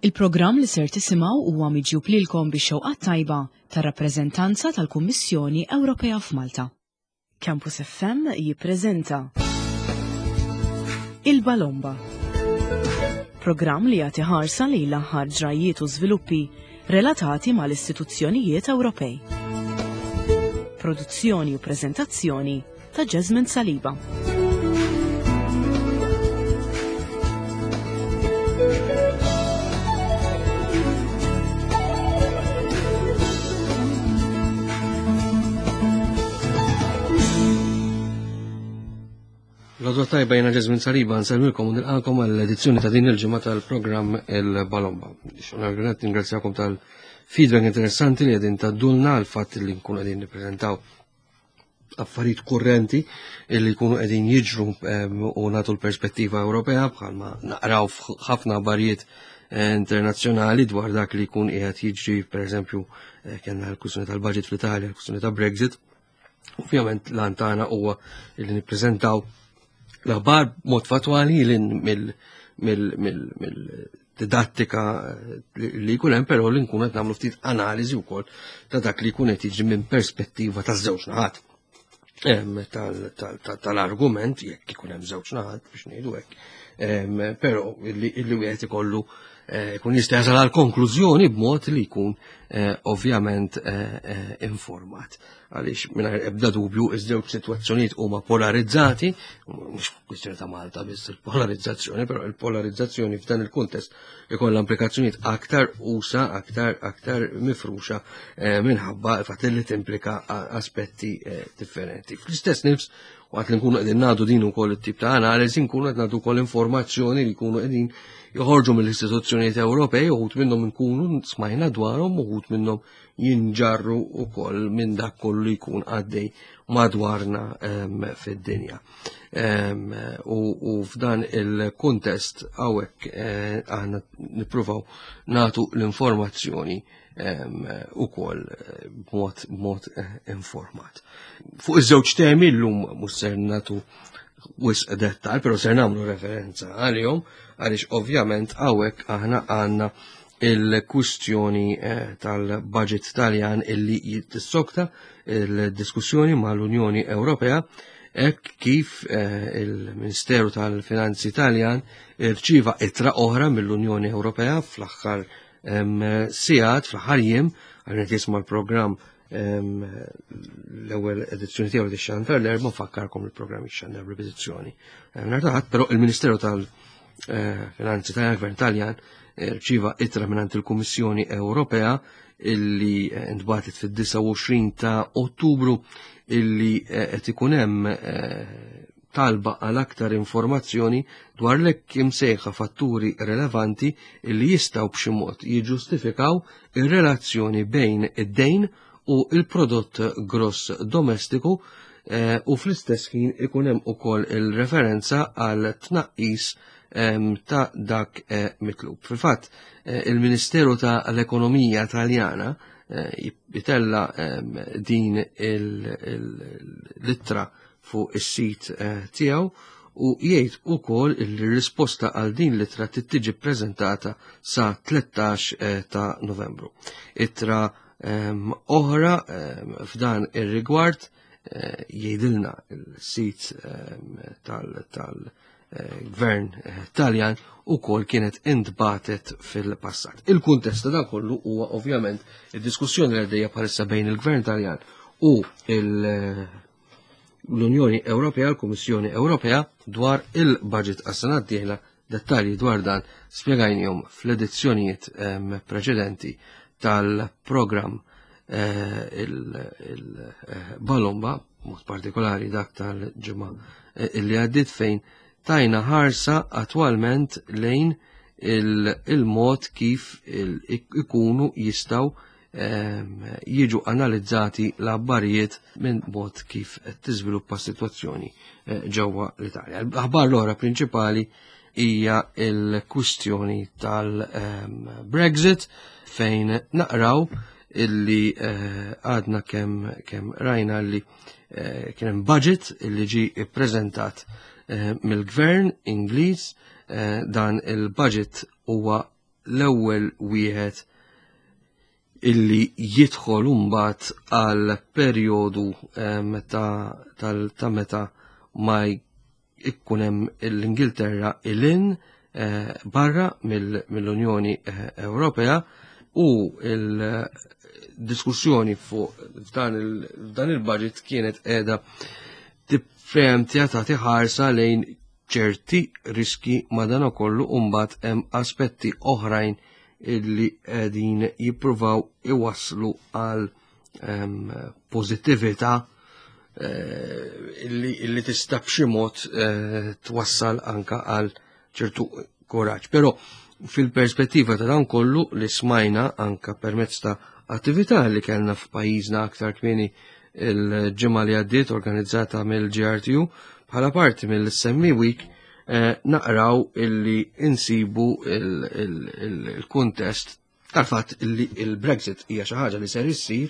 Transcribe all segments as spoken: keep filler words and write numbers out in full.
Il-programm li ser tisimgħu huwa miġjub lilkom bix-xewqa tajba tar-rappreżentanza tal-Kummissjoni Ewropea f'Malta. Campus F M jippreżenta Il-Balomba. Programm li jagħti ħarsa lejn l-aħħar ġrajiet u żviluppi relatati mal-istituzzjonijiet Ewropej. Produzzjoni u preżentazzjoni ta' Jasmine Saliba. L-għodwa tajba, jiena Ġesmin Saliba, nsellmilkom u nilqakom għall-edizzjoni ta' din il-ġimgħa tal-programm Il-Balomba. Xonargunet ningrazzjakom tal-feedback interessanti li qegħdin tgħaddulna għal fatt li nkunu qegħdin nippreżentaw affarijiet kurrenti li jkunu qegħdin jiġru u nagħtu l-perspettiva Ewropea, bħalma naqraw ħafna aħbarijiet eh, internazzjonali dwar dak li jkun qiegħed jiġri. Pereżempju, eh, kellna l-kwistjoni tal-budget fl-Italja, l-kwistjoni ta' Brexit. Ovvjament l-għan tagħna huwa li nippreżentaw l-aħbar mod fatwali mill-didattika li jkun hemm, però li nkun qed nagħmlu ftit analiżi wkoll ta' dak li jkun qed jiġri minn perspettiva ta' żewġ naħat tal-argument, jekk ikun hemm żewġ naħat, biex ngħidu hekk, però illi wieħed ikollu eh, jkun jista' jasal għal konklużjoni b'mod li jkun eh, ovvjament eh, informat. Għaliex mingħajr ebda dubju iż-żewġ sitwazzjonijiet huma polarizzati, mhux kwistjoni ta' Malta biss il-polarizzazzjoni, però il-polarizzazzjoni f'dan il-kuntest ikollha implikazzjonijiet aktar usa, aktar aktar mifruxa minħabba fatt li timplika aspetti differenti. Fl-istess nifs, waqt li nkunu qegħdin nagħtu din ukoll it-tip ta' analiżi, nkunu qed nagħtu wkoll informazzjoni li jkunu qegħdin joħorġu mill-istituzzjonijiet Ewropej, uħud minnhom nkunu smajna dwarhom, uħud minnhom jinġarru ukoll minn dak kollu li jkun għaddej madwarna fid-dinja. U f'dan il-kuntest hawnhekk eh, aħna nippruvaw nagħtu l-informazzjoni ukoll eh, b'mod b'mod eh, informat. Fuq iż-żewġ temi llum mhux ser nagħtu wisq dettal, però ser nagħmlu referenza għalihom, għaliex ovvjament hawnhekk aħna għandna il-kwistjoni eh, tal-budget Taljan illi jitissokta il-diskussjoni mal-Unjoni Ewropea, hekk kif il-Ministeru tal-Finanzi Taljan irċieva ittra oħra mill-Unjoni Ewropea fl-aħħar sigħat, fl-aħħar jiem, għal jisma' l-programm, l-ewwel edizzjoni tiegħu li xandar l-Erbgħa, nfakkarkom, il-programm ixxandar ripetizzjoni nhar ta' Ħadd, però il-Ministeru tal-Finanzi Taljan, Gvern Taljan, rċieva ittra mingħand il-Kummissjoni Ewropea illi ntbagħtet fid-disgħa u għoxrin ta' Ottubru, illi qed ikun hemm talba għal aktar informazzjoni dwar l-hekk imsejħa fatturi relevanti illi jistgħu b'xi mod jiġġustifikaw ir-relazzjoni bejn id-dejn u il-prodott gross domestiku eh, u fl-istess ħin ikun hemm ukoll il-referenza għal tnaqqis ta' dak eh, mitlub. Fil-fatt, eh, il-Ministeru ta' l-Ekonomija Taljana jitella din l-ittra fuq is-sit tiegħu u jgħid ukoll il-risposta għal din l-ittra tiġi ppreżentata sa tlettax ta' Novembru. Ittra oħra f'dan ir-rigward, eh, jgħidilna il-sit tal-gvern eh, Taljan, ukoll kienet intbagħtet fil-passat. Il-kuntest ta' dan kollu huwa ovvjament id-diskussjoni li għaddejja bħalissa bejn il-gvern Taljan u l-Unjoni Ewropea, l-Kummissjoni Ewropea, dwar il-budget għas-sena d-dieħla. Dettalji dwar dan spjegajnihom fl-edizzjonijiet preċedenti tal-programm eh, il-Balomba, mod partikolari dak tal-ġimgħa eh, illi għaddit, fejn tajna ħarsa attwalment lejn il-mod kif ikunu jistgħu jiġu analizzati l-abbarijiet minn mod kif tiżviluppa situazzjoni eh, ġewwa l-Italja. L-aħbar l-oħra prinċipali hija il-kwistjoni tal-Brexit, fejn naqraw illi eh, għadna kemm kem rajna li eh, kien hemm budget illi ġi ippreżentat eh, mill-gvern Ingliż. Dan il-budget huwa l-ewwel wieħed illi jidħol mbagħad għal perjodu ta' ta' meta ma jkun hemm l-Ingilterra ilin eh, barra mill-Unjoni eh, Ewropea u il-diskussjoni fuq f'dan il-budget kienet qiegħda tippreemptja tagħti ħarsa lejn ċerti riski madanakollu mbagħad hemm aspetti oħrajn illi qegħdin jippruvaw iwasslu għal pożittività eh, illi, illi tista' b'xi mod eh, twassal anka għal ċertu kuraġġ. Però fil-perspettiva ta' dan kollu li smajna anka permezz ta' attività li kellna f'pajjiżna aktar kmieni il-ġimgħa li għaddiet organizzata mill-G R T U bħala parti mill-S M E Week, eh, naqraw illi insibu il-kuntest tal-fatt illi il-Brexit hija xi ħaġa li ser issir.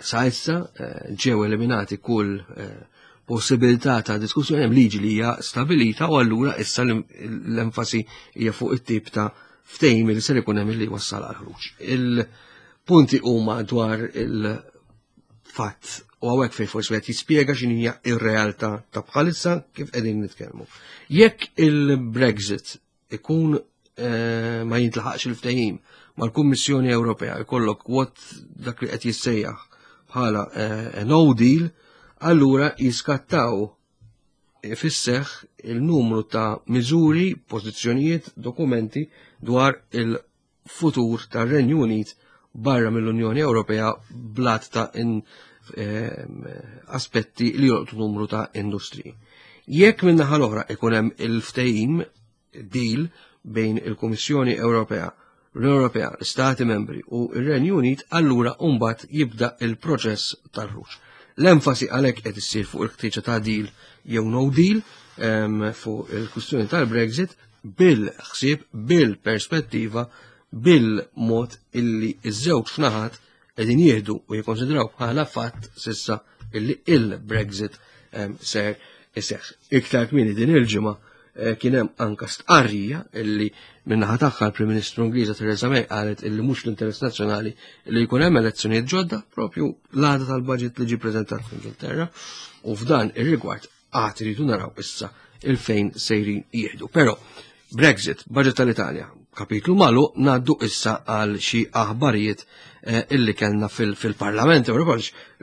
Sa issa eh, ġew eliminati kull eh, possibilità ta' diskussjoni, hemm liġi li hija stabilita u allura issa l-enfasi hija fuq it-tip ta' ftehim li ser ikun hemm li wassal għal ħruġ. Il-punti huma dwar il-fatt u hawnhekk fejn forsi qed jispjega x'inhi ir-realtà ta' bħalissa kif qegħdin nitkellmu. Jekk il-Brexit ikun eh, ma jintlaħaqx il-ftehim mal-Kummissjoni Ewropea, jkollok what dak li qed jissejjaħ bħala eh, no deal, allura jiskattaw fis-seħħ il-numru ta' miżuri, pożizzjonijiet, dokumenti dwar il-futur tar-Renju Unit barra mill-Unjoni Ewropea blat ta' in, eh, aspetti li jolqtu numru ta' industriji. Jekk minn naħa l-oħra ikun hemm il-ftehim deal bejn il-Kummissjoni Ewropea, l-Unjoni Ewropea, l-Stati Membri u il-Renju Unit, allura mbagħad jibda il-proċess tal-ħruġ. L-enfasi għalhekk qed issir fuq il-ħtieġa ta' deal jew no deal fuq il-kwistjoni tal-Brexit bil-ħsieb, bil-perspettiva, bil-mod illi iż-żewġ naħat qegħdin jieħdu u jikkonsidraw bħala fatt sissa illi il-Brexit ser iseħħ. Iktar kmieni din il-ġimgħa eh, kien hemm anka stqarrija illi min-naħa tagħha l-Prim Ministru Ingliża Theresa May qalet illi mhux l-interess nazzjonali li jkun hemm elezzjonijiet ġodda propju l-għada tal-budget li ġie preżentat fl-Ingilterra u f'dan ir-rigward għad iridu naraw issa il-fejn sejrin jieħdu. Però Brexit, budget tal-Italja, kapitlu malu, ngħaddu issa għal xi aħbarijiet eh, illi kellna fil-Parlament Ewropew.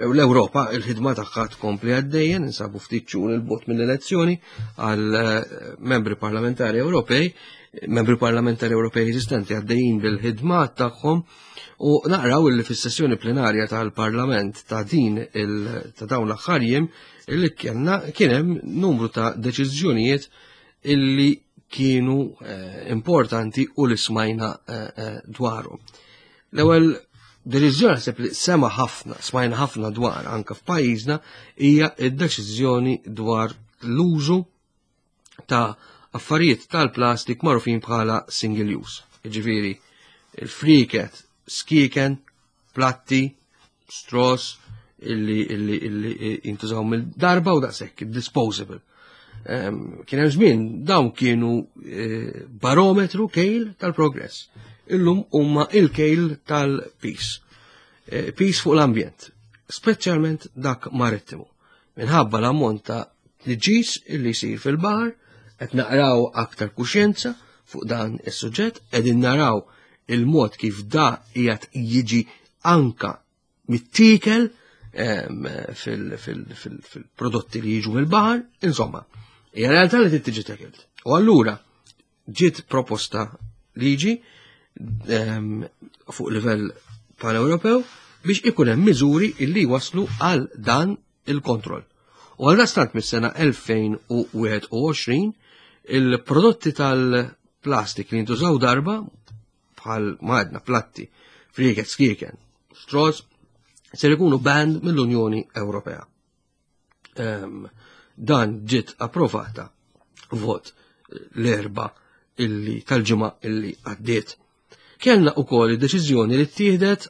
L-Ewropa il-ħidma tagħha tkompli għaddejja, ninsabu ftit xhur 'il bogħod mill-elezzjoni għal eh, membri parlamentari Ewropej, membri parlamentari Ewropej eżistenti għaddejjin bil-ħidma tagħhom u naqraw illi fis-sessjoni plenarja tal-Parlament ta' din ta' dawn l-aħħar jiem illi kellna kien hemm numru ta' deċiżjonijiet illi kienu eh, importanti u li smajna eh, eh, dwaru. L-ewwel deċiżjoni naħseb li sema ħafna, smajna ħafna dwar anka f'pajjiżna hija d-deċiżjoni dwar l-użu ta' affarijiet tal-plastik magħrufin bħala single use. Jiġifieri il-friket, skieken, platti, straws, illi illi illi jintużaw mill-darba u daqshekk, disposable. Kien hemm żmien dawn kienu eh, barometru kejl tal-progress. Illum huma il-kejl tal-piż. Eh, piż fuq l-ambjent, speċjalment dak marittimu. Minħabba l-ammont ta' tniġġis illi jsir fil-baħar, qed naqraw aktar kuxjenza fuq dan is-suġġett, qegħdin naraw il-mod kif da qiegħed jiġi anka mittiekel fil-prodotti li jiġu mill-baħar, insomma, hija realtà li tiġi tackled. U allura ġiet proposta liġi fuq livell pan-Ewropew biex ikun hemm miżuri illi waslu għal dan il-kontroll. U għal dastant mis-sena elfejn u wieħed u għoxrin il-prodotti tal-plastik li jintużaw darba bħal madna platti, friket, skieken, straws, ser ikunu banned mill-Unjoni Ewropea. Um, dan ġiet approvata vot l-Erbgħa illi tal-ġimgħa illi għaddiet. Kellna ukoll id-deċiżjoni li ttieħdet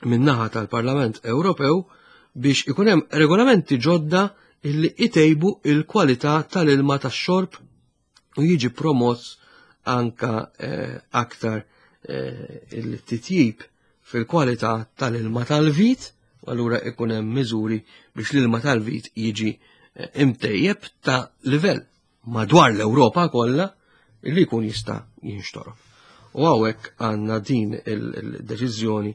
min-naħa tal-Parlament Ewropew biex ikun hemm regolamenti ġodda illi itejbu il-kwalità tal-ilma tax-xorb u jiġi promoss anka eh, aktar il-titjib fil-kwalità tal-ilma tal-vit, u allura ikun hemm miżuri biex l-ilma tal-vit jiġi imtejjeb ta' livell madwar l-Ewropa kollha li jkun jista' jinxtorob. U hawnhekk għandna din il-deċiżjoni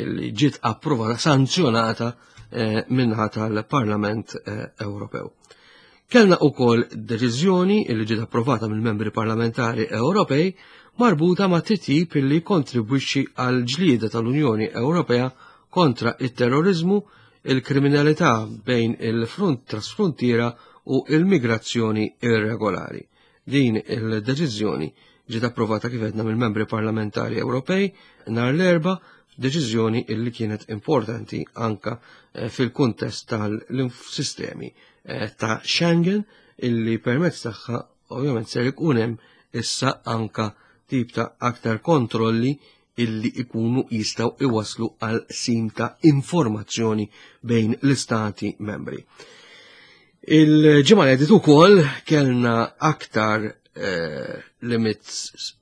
li ġiet approvata, sanzjonata minnaħa tal-Parlament Ewropew. Kellna wkoll deċiżjoni li ġiet approvata mill-membri parlamentari Ewropej marbuta ma' titjib li kontribwixxi għal ġlieda tal-Unjoni Ewropea kontra it-terrorizmu, il-kriminalità bejn il-front trasfrontiera u il-migrazzjoni irregolari. Din il-deċiżjoni ġiet approvata kif għedna mill-membri parlamentari Ewropej nhar l-Erbgħa, deċiżjoni illi kienet importanti anka fil-kuntest tal-sistemi ta' Schengen, illi permezz tagħha ovvjament ser ikun hemm issa anka tip ta' aktar kontrolli illi ikunu jistgħu iwaslu għal sim ta' informazzjoni bejn l-istati membri. Il-ġimgħa li għaddiet ukoll kellna aktar eh, limits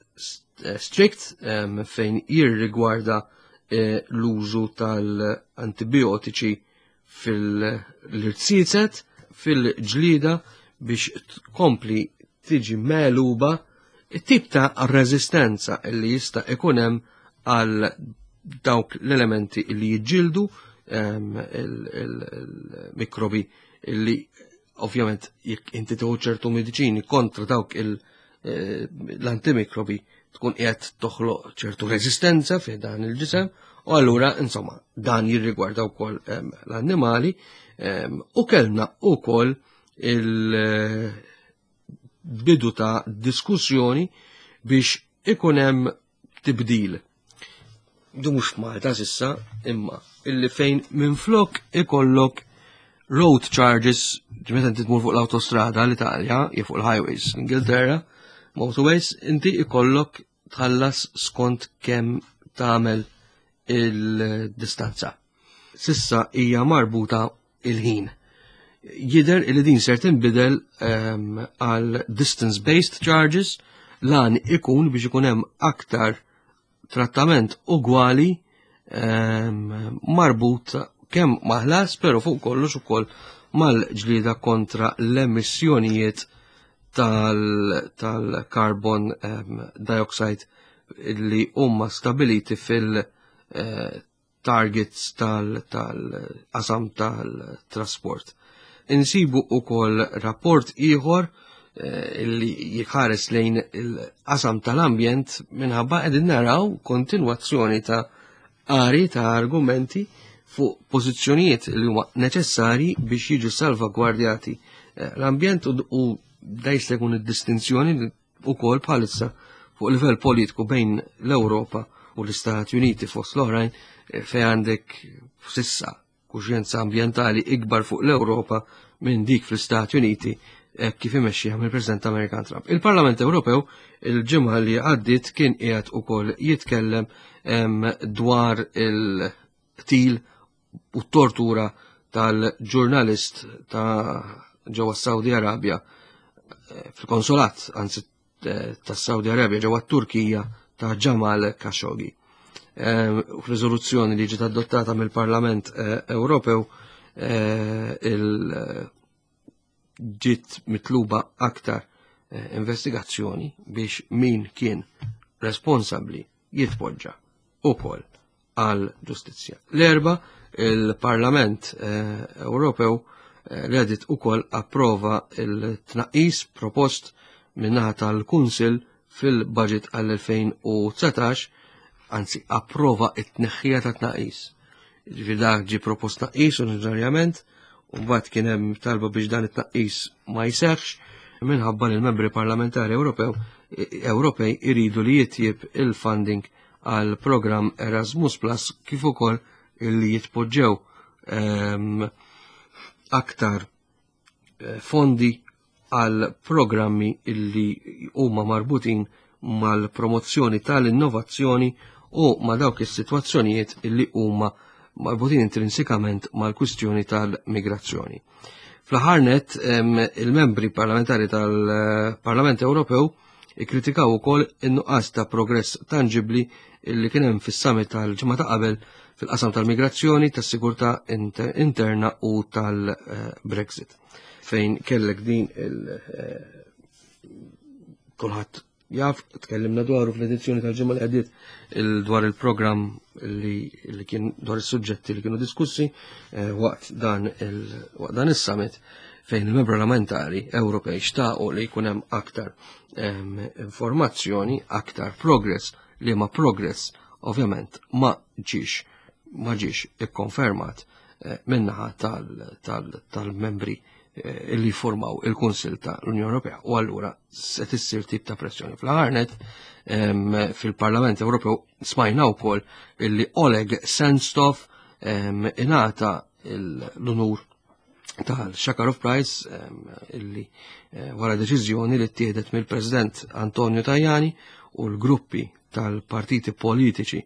strict eh, fejn jirrigwarda eh, l-użu tal-antibiotiċi fil-irziezet, fil-ġlida biex tkompli tiġi megħluba it-tip ta' rezistenza li jista' ikun hemm għal dawk l-elementi li jiġġieldu il-mikrobi li ovvjament jekk inti tieħu ċertu mediċini kontra dawk l-antimikrobi tkun qiegħed toħloq ċertu rezistenza fi dan il-ġisem, u allura insomma dan jirrigwarda wkoll l-annimali. U kellna wkoll il-bidu ta' diskussjoni biex ikun hemm tibdil. Du mhux Malta sissa, imma illi fejn minflok ikollok road charges, meta inti tmur fuq l-autostrada l-Italja, jew fuq il-highways l-Ingilterra, motorways, inti ikollok tħallas skont kemm tagħmel il-distanza. Sissa hija marbuta il-ħin. Jidher li din ser tinbidel għal distance-based charges, lan ikun biex ikun hemm aktar trattament ugwali marbut kemm maħlas, pero fuq kollox ukoll mal-ġlieda kontra l-emissjonijiet tal-carbon dioxide li huma stabiliti fil-targets tal-qasam tal-trasport. Insibu ukoll rapport ieħor li jħares lejn il-qasam tal-ambjent minħabba qegħdin naraw kontinwazzjoni ta' qari ta' argumenti fuq pożizzjonijiet li huma neċessarji biex jiġu salvagwardjati l-ambjent, u da jista' jkun id-distinzjoni wkoll bħalissa fuq livell politiku bejn l-Ewropa u l-Istati Uniti fost l-oħrajn, fejn għandek sissa kuxjenza ambjentali ikbar fuq l-Ewropa minn dik fl-Istati Uniti kif imexxija mill-President Amerikan Trump. Il-Parlament Ewropew il-ġimgħa li għaddiet kien qiegħed ukoll jitkellem dwar il-qtil u tortura tal-ġurnalist ta' ġewwa Saudi Arabia fil-konsolat, anzi tas-Saudi Arabia ġewwa Turkija, ta' Jamal Khashoggi. F'riżoluzzjoni li ġiet adottata mill-Parlament Ewropew il ġiet mitluba aktar investigazzjoni biex min kien responsabbli jitpoġġa ukoll għal ġustizzja. L-Erbgħa il-Parlament Ewropew l-edit ukoll approva il-tnaqqis propost minnaħa tal-Kunsil fil-budget għall-elfejn u dsatax, anzi approva it-tneħħija ta' tnaqqis. Ġifieri dak ġie propost tnaqqis oriġinarjament, u mbagħad kien hemm talba biex dan it-tnaqqis ma jseħħx minħabba li l-membri parlamentari Ewropew Ewropej iridu li jitjib il-funding għal programm Erasmus Plus kif ukoll illi jitpoġġew ehm, aktar eh, fondi għal programmi illi huma marbutin mal-promozzjoni tal-innovazzjoni u ma' dawk is-sitwazzjonijiet illi huma marbutin intrinsikament mal-kwistjoni tal-migrazzjoni. Fl-aħħar nett, il-membri parlamentari tal-Parlament Ewropew Ikkritikaw ukoll in-nuqqas ta' progress tangibbli li kien hemm fis-summit tal-ġimgħa ta' qabel fil-qasam tal-migrazzjoni, tas-sigurtà interna u tal-Brexit. Fejn kellek din il kulħadd jaf, tkellimna dwaru fl-edizzjoni tal-ġimgħa li għaddiet dwar il-programm li kien dwar is-suġġetti li kienu diskussi waqt dan waqt dan is-summit fejn il-membri parlamentari Ewropej xtaqu li jkun hemm aktar informazzjoni, aktar progress, li ma progress ovvjament ma ġiex ma ġiex ikkonfermat minnaħa tal-membri li formaw il-Kunsil ta' l-Unjoni Ewropea u allura se tissir tip ta' pressjoni. Fl-aħħar fil-Parlament Ewropew smajna wkoll illi Oleg Sentsov ingħata l-unur tal-Sakharov Prize illi wara deċiżjoni li ttieħdet mill-President Antonio Tajani u l-gruppi tal-partiti politiċi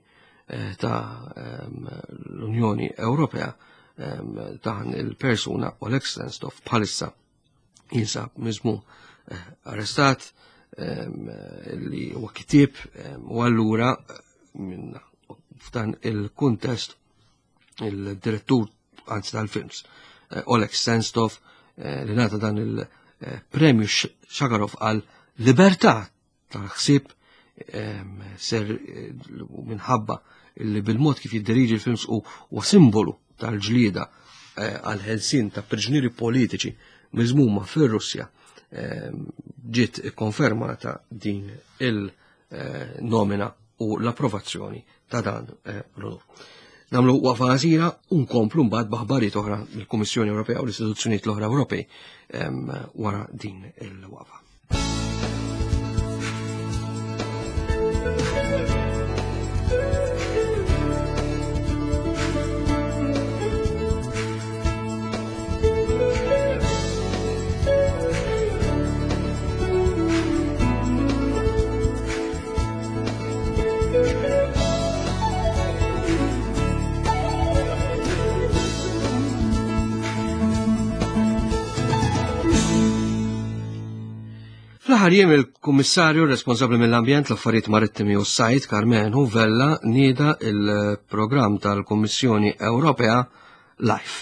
ta' l-Unjoni Ewropea dan il-persuna Oleg Sentsov bħalissa jinsab miżmum arrestat li huwa kittieb u allura minn f'dan il-kuntest il-direttur anzi tal-films Oleg Sentsov li ngħata dan il-premju Sakharov għal libertà tal-ħsieb ser minħabba li bil-mod kif jiddiriġi l-films u simbolu tal-ġlieda għal-ħelsien ta' priġunieri politiċi miżmuma fir-Russja ġiet ikkonfermata din il-nomina u l-approvazzjoni ta' dan l-unur. Nagħmlu waqfa qasira u nkomplu mbagħad b'aħbarijiet oħra mill-Kummissjoni Ewropea u l-istituzzjonijiet l-oħra Ewropej wara din il-waqfa. Fl-aħħar jiem il-Kummissarju responsabbli mill-Ambjent, l-Affarijiet Marittimi u s-Sajd, Karmenu Vella, nieda il-programm tal-Kummissjoni Ewropea LIFE.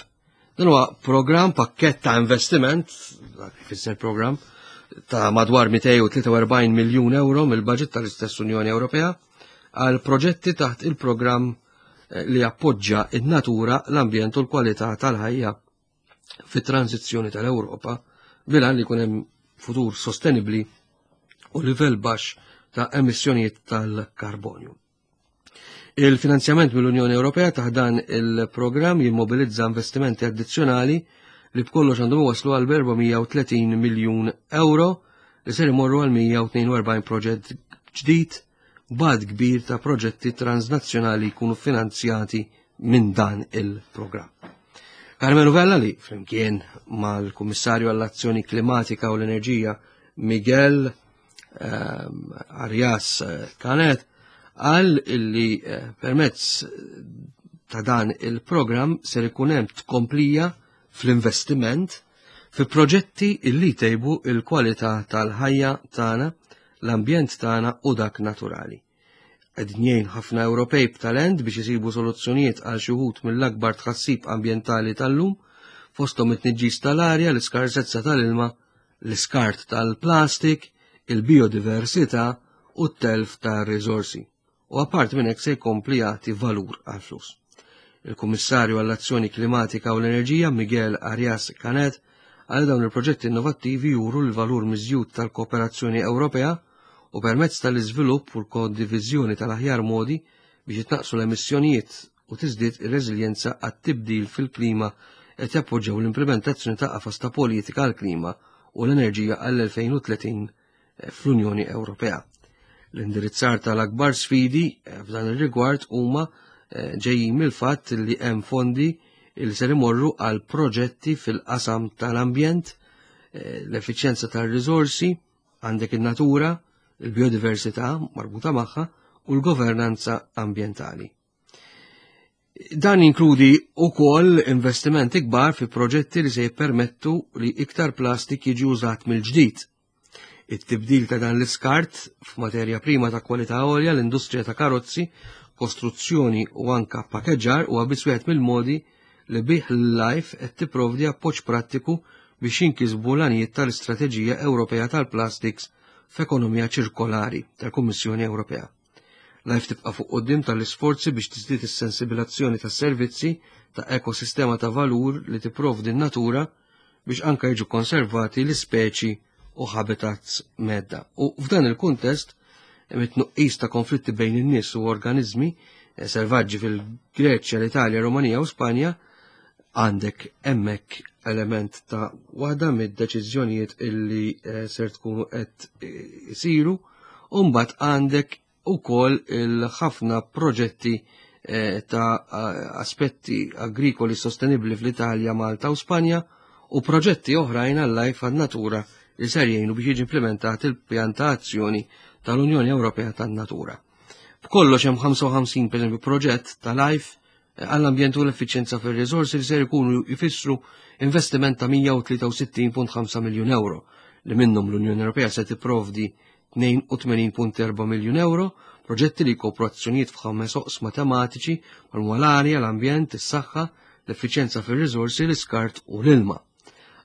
Dan huwa programm pakkett ta' investiment, dak ifisser programm, ta' madwar mitejn u tlieta u erbgħin miljun euro mill-budget tal-istess Unjoni Ewropea għal proġetti taħt il-programm li appoġġa in-natura, l-ambjent u l-kwalità tal-ħajja fit-tranzizzjoni tal-Ewropa bil-għan li jkun hemm futur sostenibli u livell baxx ta' emissjonijiet tal-karbonju. Il-finanzjament mill-Unjoni Ewropea taħt dan il-programm jimmobilizza investimenti addizzjonali li b'kollox għandhom waslu għal erba' mija u tletin miljun euro li ser imorru għal mija u tnejn u erbgħin proġett ġdid b'għadd kbir ta' proġetti transnazzjonali jkunu finanzjati minn dan il-programm. Karmenu Vella li flimkien mal-Kummissarju għall-Azzjoni Klimatika u l-Enerġija Miguel um, Arias Canet qal illi permezz ta' dan il-programm ser ikun hemm tkomplija fl-investiment fi proġetti illi tejbu il-kwalità tal-ħajja tagħna, l-ambjent tagħna u dak naturali. Qegħdin jgħin ħafna Ewropej b'talent biex isibu soluzzjonijiet għal xi wħud mill-akbar tħassib ambjentali tal-lum, fosthom it-tniġġis tal-arja, l-iskarsezza tal-ilma, l-iskart tal-plastik, il-biodiversità u t-telf tar-riżorsi. U apart minn hekk se jkompli jagħti valur għall-flus. Il-Kummissarju għall-Azzjoni Klimatika u l-Enerġija Miguel Arias Canet għal dawn il-proġetti innovattivi juru l-valur miżjud tal-kooperazzjoni Ewropea u permezz tal-iżvilupp u l-kondiviżjoni tal-aħjar modi biex jitnaqsu l-emissjonijiet u tiżdied ir-reżiljenza għat-tibdil fil-klima qed jappoġġjaw l-implementazzjoni ta' qafas ta' politika għall-klima u l-enerġija għall-elfejn u tletin fl-Unjoni Ewropea. L-indirizzar tal-akbar sfidi f'dan ir-rigward huma ġejjin mill-fatt li hemm fondi li ser imorru għal proġetti fil-qasam tal-ambjent, l-effiċjenza tar-riżorsi, għandek in-natura, il-biodiversità marbuta magħha u l-governanza ambjentali. Dan jinkludi wkoll investimenti kbar fi proġetti li se jippermettu li iktar plastik jiġi użat mill-ġdid. It-tibdil ta' dan l-iskart f'materja prima ta' kwalità għolja l-industrija ta' karozzi, kostruzzjoni u anka pakeġġar huwa biss wieħed mill-modi li bih l-LIFE qed tipprovdi appoġġ prattiku biex jinkisbu l-għanijiet tal-Istrateġija Ewropea tal-Plastics f'Ekonomija Ċirkolari tal-Kummissjoni Ewropea. LIFE tibqa' fuq quddiem tal-isforzi biex tiżdied is-sensibilizzazzjoni tas-servizzi ta' ekosistema ta' valur li tipprovdi n-natura biex anka jiġu konservati l-ispeċi u habitats mhedda. U f'dan il-kuntest, mit-tnuqqis ta' konflitti bejn in-nies u organizmi eh, selvaġġi fil-Greċja, l-Italja, Rumanija u Spanja, għandek hemmhekk element ta' waħda mid-deċiżjonijiet illi eh, ser tkunu qed eh, isiru, u mbagħad għandek ukoll il-ħafna proġetti ta' aspetti agrikoli sostenibli fl-Italja, Malta u Spanja u proġetti oħrajn għal-LIFE għan-natura li ser jgħinu biex jiġi implementat il-pjan ta' azzjoni tal-Unjoni Ewropea tan-Natura. B'kollox hemm ħamsa u ħamsin, pereżempju, proġett ta' LIFE għall-ambjent u l-effiċjenza fir-riżorsi li ser ikunu jfissru investiment ta' mija u tlieta u sittin punt ħamsa miljun euro, li minnhom l-Unjoni Ewropea se tipprovdi tnejn u tmenin punt erba' miljun euro, proġetti li jkopru azzjonijiet f'ħames oqsma tematiċi bħal l-arja, l-ambjent, is-saħħa, l-effiċjenza fir-riżorsi, l-iskart u l-ilma.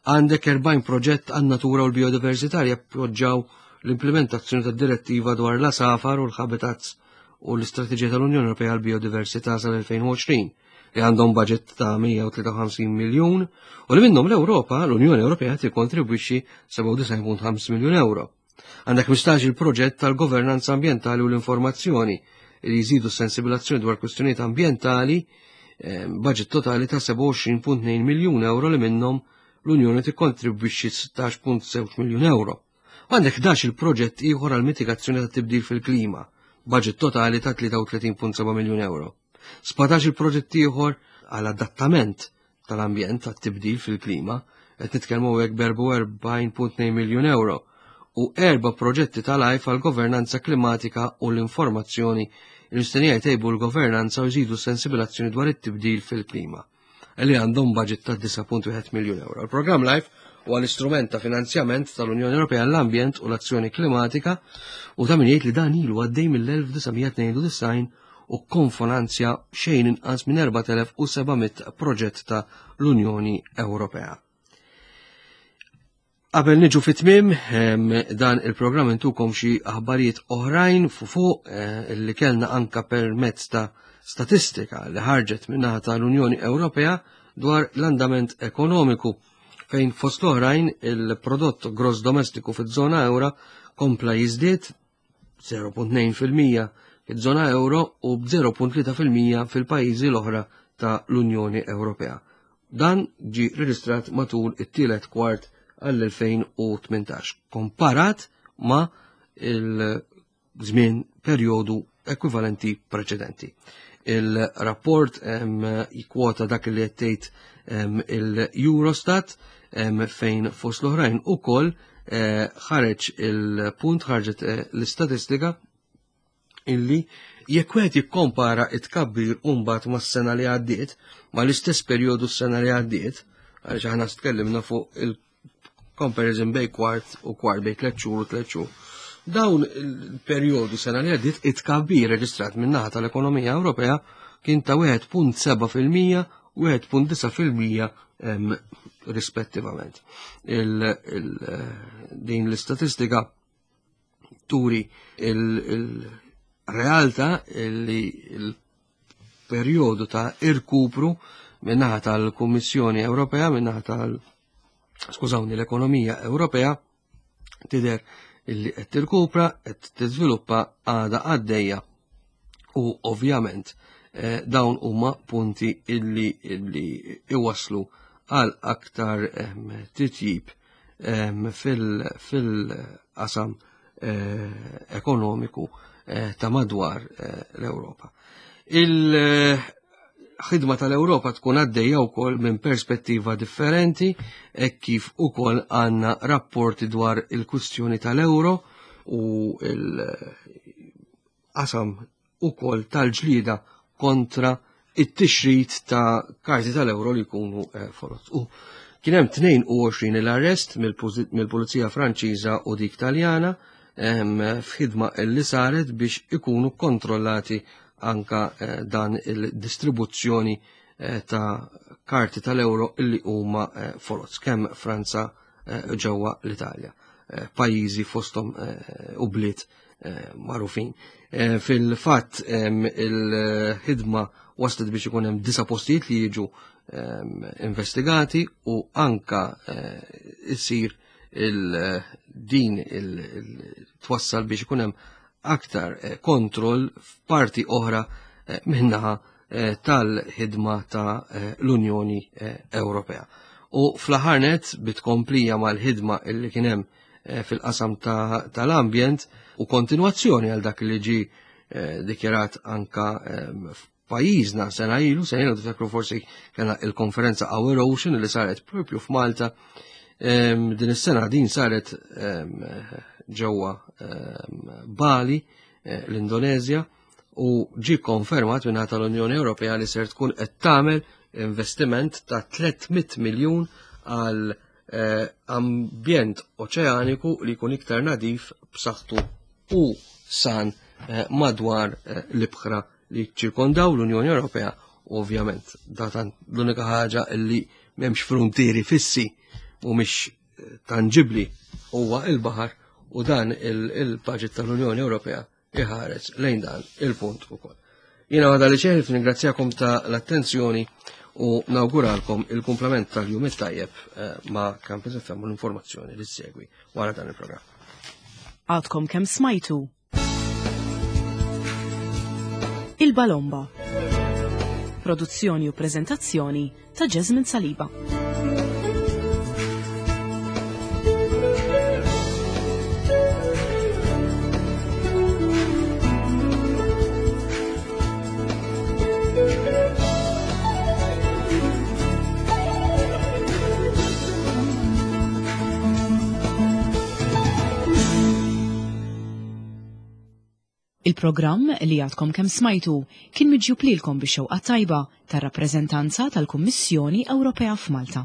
Għandek erbgħin proġett għan-natura u l-biodiversità li jappoġġaw l-implementazzjoni tad-direttiva dwar l-għasafar u l-habitats u l-istrateġija tal-Unjoni Ewropea għal biodiversità sal-elfejn u għoxrin, li għandhom budget ta' mija u tlieta u ħamsin miljun u li minnhom l-Ewropa, l-Unjoni Ewropea, tikkontribwixxi sebgħa u disgħin punt ħamsa miljun euro. Għandek ħmistax il-proġett tal-governanza ambientali u l-informazzjoni li jżidu s-sensibilizzazzjoni dwar kwistjonijiet ambientali, eh, budget totali ta' sebgħa u għoxrin punt tnejn miljun euro, li minnhom l-Unjoni tikkontribwixxi sittax punt żewġ miljun euro. Għandek ħdax il-proġett ieħor għal mitigazzjoni ta' tibdil fil-klima, budget totali ta' tlieta u tletin punt seba' miljun euro. Sbatax il-proġett ieħor għal adattament tal-ambjent tat tibdil fil-klima, qed nitkellmu hekk b'erbgħa u erbgħin punt tnejn miljun euro, u erba' proġetti tal-LIFE għal governanza klimatika u l-informazzjoni li mistennija jtejbu l-governanza u jżidu sensibilizzazzjoni dwar it-tibdil fil-klima, li għandhom budget ta' disgħa punt wieħed miljun euro. Il-programm LIFE huwa l-istrument ta' finanzjament tal-Unjoni Ewropea l-ambjent u l-azzjoni klimatika u ta' min jgħid li dan ilu għaddej mill-elf disa' mija tnejn u disgħin u kkofinanzja xejn inqas minn erbat elef u seba' mitt proġett ta' l-Unjoni Ewropea. Qabel niġu fit-tmim dan il-programm, intukom xi aħbarijiet oħrajn fu fuq eh, li kellna anka permezz ta' statistika li ħarġet min-naħa tal-Unjoni Ewropea dwar l-andament ekonomiku, fejn fost l-oħrajn il-prodott gross domestiku fiż-żona euro kompla jiżdied żero punt tnejn fil-mija fiż-żona euro u b'żero punt tlieta fil-mija fil-pajjiżi l-oħra ta' l-Unjoni Ewropea. Dan ġi reġistrat matul it-tielet kwart għall-elfejn u tmintax, komparat ma' il-żmien perjodu ekwivalenti preċedenti. Il-rapport jikwota dak li qed il-Eurostat, fejn fost l-oħrajn ukoll eh, ħareġ il-punt, ħarġet eh, l-istatistika illi jekk wieħed jikkompara it-tkabbir mbagħad mas-sena li għaddiet, mal-istess perjodu s-sena li għaddiet, għaliex aħna tkellimna fuq il-comparison bej kwart u kwart, bej tliet xhur u tliet xhur. Dawn il-perjodu sena li għaddiet, it-tkabbir reġistrat min-naħa tal-ekonomija Ewropea kien ta' wieħed punt seba' fil-mija u wieħed punt disgħa fil-mija rispettivament. Il, il, din l-istatistika turi il-realtà li il-perjodu ta' irkupru min-naħa tal-Kummissjoni Ewropea, min-naħa tal- skużawni, l-ekonomija Ewropea tidher illi qed tirkupra, qed tiżviluppa, għada għaddejja u ovvjament eh, dawn huma punti illi illi iwaslu għal aktar titjib fil-qasam eh, ekonomiku eh, ta' madwar l-Ewropa. Il-ħidma tal-Ewropa tkun għaddejja wkoll minn perspettiva differenti e kif ukoll għandna rapporti dwar il-kwistjoni tal-euro u il-qasam ukoll tal-ġlida kontra it-tixrid ta' karti tal-euro li jkunu eh, foloz. U Kien hemm tnejn u għoxrin l-arrest mill-Pulizija Franċiża u dik Taljana f'ħidma li saret biex ikunu kontrollati anka eh, dan il-distribuzzjoni eh, ta' karti tal-euro illi huma eh, foloz kemm Franza, ġewwa l-Italja. Pajjiżi fosthom u bliet magħrufin. Fil-fatt il-ħidma waslet biex ikun hemm disa' postijiet li jiġu investigati u anka isir il-din il-twassal biex ikun hemm aktar eh, kontroll f'parti oħra eh, minnaħa eh, tal-ħidma ta' l-Unjoni Ewropea. U fl-aħħar nett, bit-tkomplija mal-ħidma illi kien hemm fil-qasam tal-ambjent u kontinuazzjoni għal dak li ġi dikjarat anka f'pajjiżna sena ilu, sena ilu tiftakru forsi kellna il-konferenza Our Ocean li saret propju f'Malta. Din is-sena din saret ġewwa Bali, eh, l-Indonezja, u ġi konfermat minn tal-Unjoni Ewropea li ser tkun qed tagħmel investiment ta' tliet mitt miljun għal eh, ambjent oċeaniku li jkun iktar nadif, b'saħħtu u san eh, madwar l-ibħra li ċirkondaw l-Unjoni Ewropea. Ovvjament datan l-unika ħaġa li m'hemmx frontieri fissi u mhix tangibli huwa il-baħar, u dan il-budget tal-Unjoni Ewropea iħares lejn dan il-punt ukoll. Jiena għada li ċeħif ningrazzjakom ta' l-attenzjoni u nawguralkom il-kumplament tal-jum it-tajjeb eh, ma' Campus F M u l-informazzjoni li segwi wara dan il-programm. Għadkom kemm smajtu Il-Balomba. Produzzjoni u prezentazzjoni ta' Jasmine Saliba. Il-programm li għadkom kemm smajtu kien miġjub lilkom bix-xewqa tajba tar-rappreżentanza tal-Kummissjoni Ewropea f'Malta.